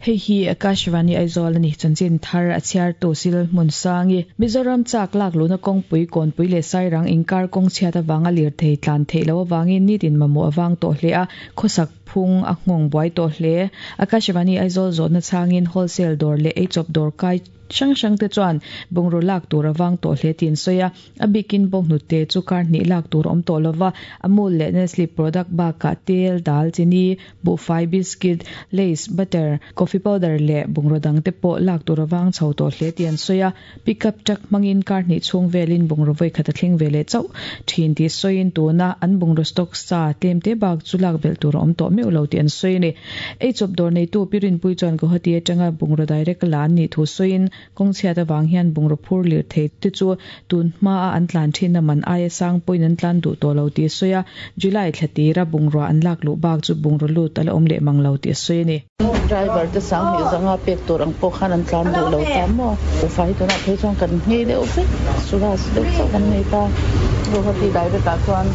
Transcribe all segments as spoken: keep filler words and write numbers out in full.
Hei hi Akashvani Aizawl ani chanchin thar a chhiar tu sil hmun sangi Mizoram chak lak luna kawngpui kawnpui leh sairang inkar kawng chhiat awanga lir thei tlan thei lo awangin nitin mamawh awang tawh hle a khawsak phung a nghawng buai tawh hle Akashvani Aizawl zawhna changin wholesale dawr leh eichawp dawr kai hrang hrang te chuan bungraw lak tur awang tawh hle tin sawi a a bikin bawng hnute chu kar hnih lak tur awm tawh lova Amul leh Nestle product bakah tel dal chini buhfai biscuit lace butter coffee powder leh bungraw dang te pawh lak tur awang chho tawh hle ti an sawi a pickup truck hmangin kar hnih chhung velin bungraw vawi khat a thleng ve leh chauh thin ti sawiin tuna an bungraw stock sa tlem te bak chu lak belh tur a awm tawh meuh lo ti an sawi ani eichawp dawr nei tu pirin pui chuan Guwahati atanga bungraw direct la an nih thu sawiin kawng chhiat awang hian bungraw phur lir thei te chu tun hma a an tlan thin a man aia sang pawhin an tlan duh tawh lo ti sawi a July thla tira bungraw an lak luh bak chu bungraw lut ala awm leh mang lo ti sawi ani driver te sang hi zanga pek tur ang pawh khan an tlan duh lo ta maw fai tunah phei chuan kan nghei deuh vek Swaraj deuh chauh kan nei ta Guwahati direct ah chuan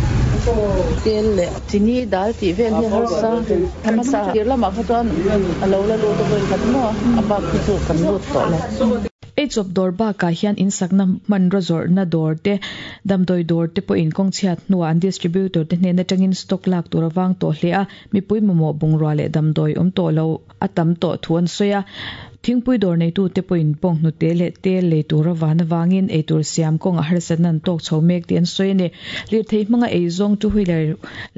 tel leh chini dal tih vel hi harsa hmasa tir lamah kha chuan a lo la lut a vawi khat maw a bak khi chu kan lut tawh lo eichawp dawr bakah hian insakna hmanraw zawrhna dawr te damdawi dawr te pawhin kawng chhiat hnuah an distributor te hnen atangin stock lak tur awang tawh hle a mipui mamawh bungrua leh damdawi awm tawh lo a tam tawh thu an sawi a thingpui dawr nei tu te pawhin bawng hnute leh tel lei tur awan awangin eitur siam kawng a harsatna an tawk chho mek tih an sawi ani lirthei hmanga eizawng two wheeler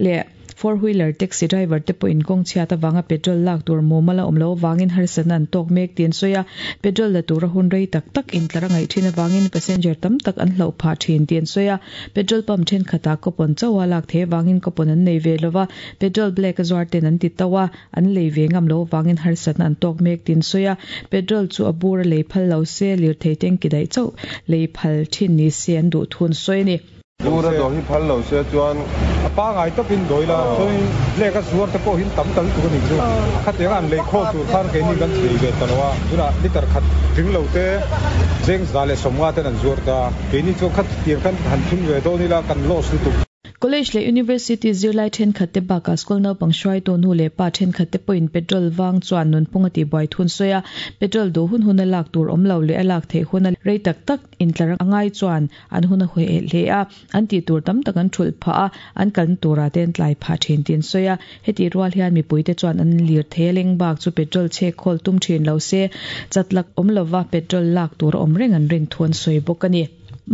leh four wheeler taxi driver te pawhin kawng chhiat awanga petrol lak tur mumal a awm lo awangin harsatna an tawk mek tih an sawi a petrol la tura hun rei tak tak intlar a ngaih thin awangin passenger tam tak an hloh phah thin tih an sawi a petrol pump thenkhatah coupon chauha lak thei awangin coupon an nei ve lova petrol black a zuar ten an ti to a an lei ve ngam lo awangin harsatna an tawk mek tih an sawi a petrol chu a bur a lei phal lo se lirthei tanki daih chauh lei phal thin ni se an duh thu an sawi ani Bura dawr hi phal lo se chuan a pa ngai tawpin dawi la chuanin black a zuar te pawh hin tam tal tur ani chu khatiang an lei khawl tur khan keini kan thei ve ta lo a tunah liter khat tling lo te cheng za leh sawmnga ten an zuar ta keini chuan khat tiang khan han thun ve dawn ila kan loss lutuk College leh University zirlai thenkhat te bakah school naupang hruai tu nu leh pa thenkhat te pawhin petrol wang chuan nunphung a ti buai thun sawi a petrol duh hun hun a lak tur awm lo leh a lak theih hun a rei tak tak intlar angai chuan an hun a hawi hle a an tih tur tam tak an thulh phah a an kalna turah te an tlai phah thin tih an sawi a heti rual hian mipui te chuan an lir thei a leng bak chu petrol chhek khawl tum thin lo se chatlak awm lova petrol lak tur a awm reng an rin thu an sawi bawk ani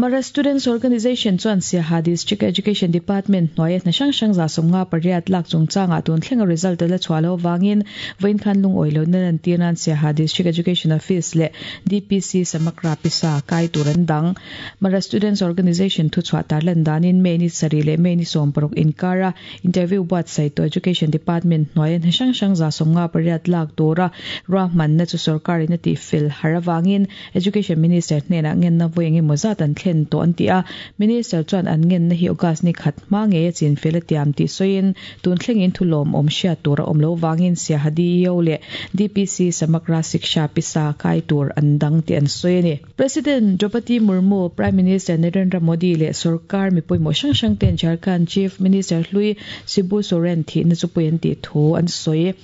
Mara Students Organization chuan Siaha District Education Department hnuaia hna hrang hrang za sawmnga pariat lak chungchangah tun thlenga result la chhuah lo wangin vawiin khan lungawi lo na lan tir nan Siaha District Education Office leh D P C Samakra Pisa kai tur an dang Mara Students Organization thu chhuah tar lan danin May ni sarih leh May ni sawm paruk inkara interview buatsaih to Education Department hnuaia hna hrang hrang za sawmnga pariat lak tura ruahmanna chu sarkarin a ti fel har awangin Education Minister hnenah ngenna vawi engemaw zat an thlen to an ti a minister chuan an ngen na hi August ni khat hma nge a chin fel a tiam ti sawiin tun thlengin thu lawm awm hriat tur a awm lo wangin Siaha D E O leh D P C Samakra Siksha Pisa kai tur an dang ti an sawi ani President Draupadi Murmu, Prime Minister Narendra Modi leh sarkar mi pawimawh hrang hrang ten Jharkhand Chief Minister hlui Shibu Soren thi na chu pui an ti thu an sawi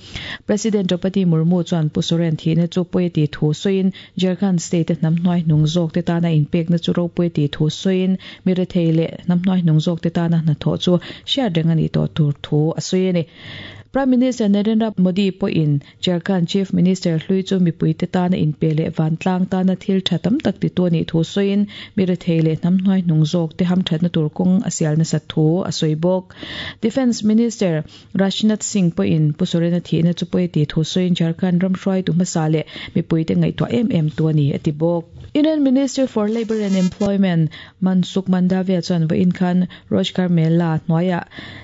President Draupadi Murmu chuan Pu Soren thi na chu pui ti thu sawiin Jharkhand state hnam hnuai hnung zawk te tana inpek na chu ro pui ti thu sawiin mi rethei leh hnam hnuai hnung zawk te tana hna thawh chu hriat reng ani tawh tur thu a sawi ani Prime Minister Narendra Modi pawhin Jharkhand Chief Minister hlui chu mipui te tana inpe leh vantlang tana thil tha tam tak ti tu ani thu sawiin mi rethei leh hnam hnuai hnung zawk te ham thatna tur kawng a sial nasa thu a sawi bawk Defence Minister Rajnath Singh pawhin Pu Sorena thi na chu pui ti thu sawiin Jharkhand ram hruai tu hmasa leh mipui te ngaihtuah em em tu ani a ti bawk Union Minister for Labour and Employment Mansukh Mandavia chuan vawiin khan Rozgar Mela hnuaia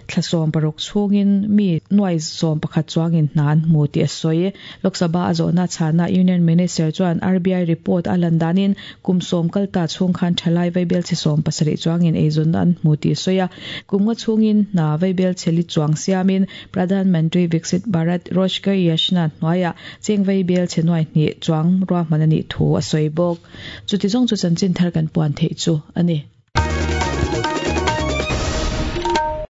thlasawm paruk chhungin mi nuai sawm pakhat chuangin hna an hmu tih a sawi Lok Sabha a zawhna chhana Union Minister chuan R B I report a lan danin kum sawm kalta chhung khan thalai vaibel che sawm pasarih chuangin eizawn an hmu tih a sawi a kum nga chhungin hna vaibel cheli chuang siamin Pradhan Mantri Viksit Bharat Rozgar Yojana hnuaia cheng vaibel che nuai hnih chuang ruahman ani thu a sawi bawk chuti zawng chu chanchin thar kan puan theih chu ani.